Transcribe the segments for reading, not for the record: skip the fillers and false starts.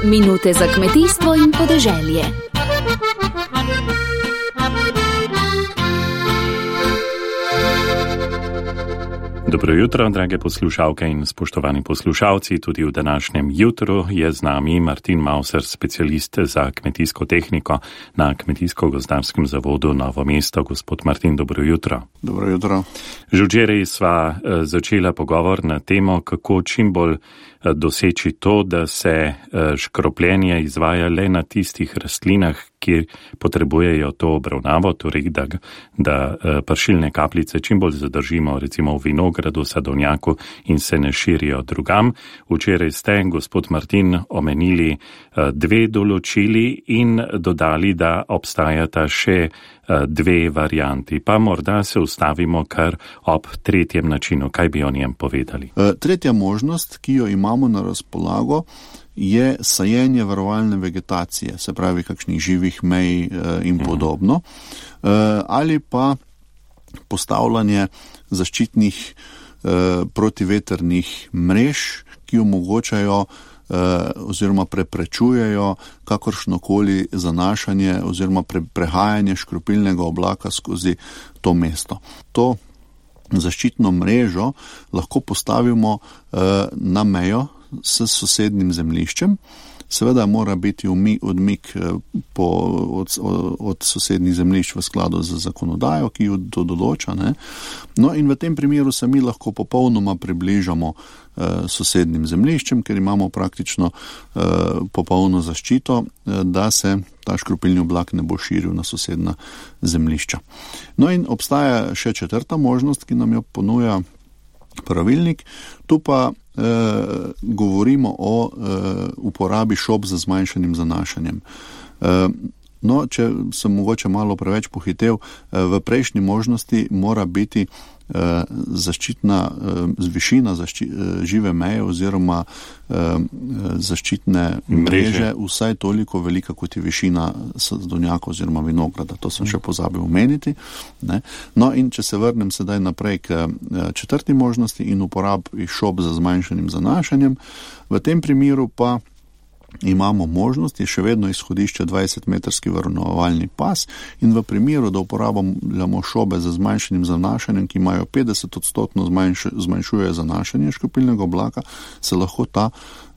Minute za kmetijstvo in podeželje. Dobro jutro, drage poslušalke in spoštovani poslušalci. Tudi v današnjem jutru je z nami Martin Mauser, specialist za kmetijsko tehniko na Kmetijsko-gozdarskem zavodu Novo mesto. Gospod Martin, dobro jutro. Dobro jutro. Že včeraj sva začela pogovor na temo, kako čim bolj doseči to, da se škropljenje izvaja le na tistih rastlinah, ki potrebujejo to obravnavo, torej da pršilne kapljice čim bolj zadržimo, recimo v vinogradu, sadovnjaku in se ne širijo drugam. Včeraj ste, gospod Martin, omenili dve določili in dodali, da obstajata še dve varianti. Pa morda se ustavimo kar ob tretjem načinu. Kaj bi o njem povedali? Tretja možnost, ki jo imamo na razpolago, je sajenje varovalne vegetacije, se pravi kakšnih živih mej in podobno, ali pa postavljanje zaščitnih protivetrnih mrež, ki omogočajo oziroma preprečujejo kakršnokoli zanašanje oziroma prehajanje škropilnega oblaka skozi to mesto. To zaščitno mrežo lahko postavimo na mejo s sosednjim zemljiščem. Seveda mora biti odmik od sosednjih zemljišč v skladu z zakonodajo, ki jo to določa. Ne? No in v tem primeru se mi lahko popolnoma približamo sosednjim zemljiščem, ker imamo praktično popolno zaščito, da se ta škropilni oblak ne bo širil na sosedna zemljišča. No in obstaja še četrta možnost, ki nam jo ponuja pravilnik. Tu pa govorimo o uporabi šob z zmanjšanim zanašanjem. No, če sem mogoče malo preveč pohitev, v prejšnji možnosti mora biti zaščitna višina žive meje oziroma zaščitne mreže vsaj toliko velika, kot je višina sadovnjaka oziroma vinograda. To sem še pozabil omeniti. Ne? No in če se vrnem sedaj naprej k četrti možnosti in uporabi šob za zmanjšanim zanašanjem, v tem primeru pa imamo možnost, je še vedno izhodišče 20-metrski varovalni pas in v primeru, da uporabljamo šobe za zmanjšanim zanašanjem, ki imajo 50% zmanjšuje zanašanje škropilnega oblaka, se lahko ta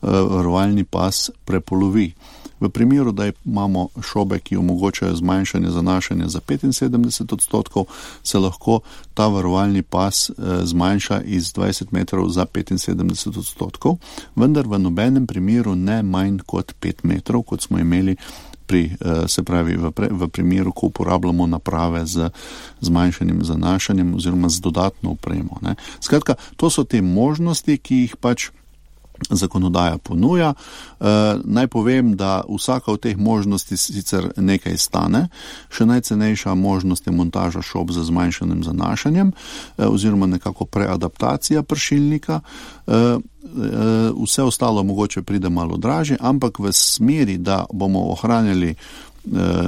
varovalni pas prepolovi. V primeru, da imamo šobe, ki omogočajo zmanjšanje zanašanja za 75%, se lahko ta varovalni pas zmanjša iz 20 metrov za 75%, vendar v nobenem primeru ne manj kot 5 metrov, kot smo imeli v primeru, ko uporabljamo naprave z zmanjšanim zanašanjem oziroma z dodatno opremo. Ne. Skratka, to so te možnosti, ki jih pač zakonodaja ponuja. Naj povem, da vsaka od teh možnosti sicer nekaj stane. Še najcenejša možnost je montaža šob z zmanjšanim zanašanjem oziroma nekako preadaptacija pršilnika. Vse ostalo mogoče pride malo dražje, ampak v smeri, da bomo ohranjali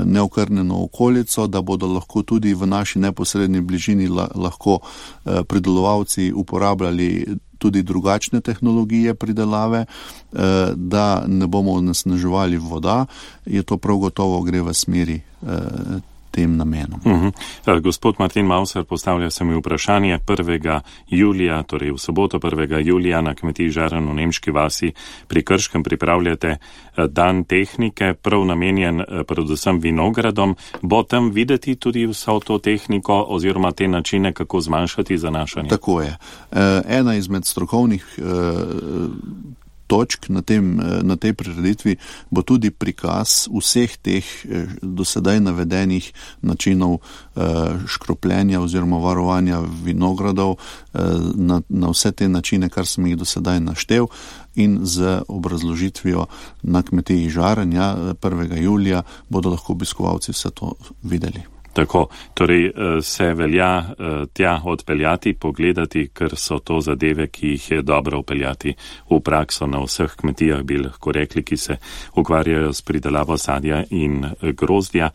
neokrnjeno okolico, da bodo lahko tudi v naši neposredni bližini lahko pridelovalci uporabljali tudi drugačne tehnologije pridelave, da ne bomo onesnaževali voda, je to prav gotovo gre v smeri tem namenom. Gospod Martin Mauser, postavlja se mi vprašanje 1. julija, torej v soboto 1. julija na kmetiji Žaren v Nemški vasi pri Krškem pripravljate dan tehnike, prav namenjen predvsem vinogradom. Bo tam videti tudi vso to tehniko oziroma te načine, kako zmanjšati zanašanje? Tako je. Ena izmed strokovnih točk na tej prireditvi bo tudi prikaz vseh teh dosedaj navedenih načinov škropljenja oziroma varovanja vinogradov na vse te načine, kar sem jih dosedaj naštel, in z obrazložitvijo na kmetiji Žaren 1. julija bodo lahko obiskovalci vse to videli. Tako, torej se velja tja odpeljati, pogledati, ker so to zadeve, ki jih je dobro upeljati v prakso na vseh kmetijah, bi lahko rekli, ki se ukvarjajo s pridelavo sadja in grozdja.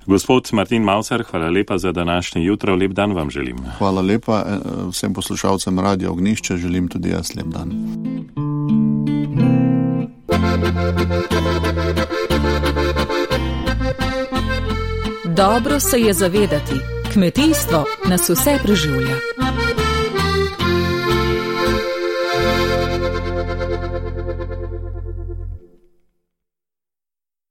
Gospod Martin Mauser, hvala lepa za današnje jutro, lep dan vam želim. Hvala lepa vsem poslušalcem Radia Ognjišče, želim tudi jaz lep dan. Dobro se je zavedati, kmetijstvo nas vse preživlja.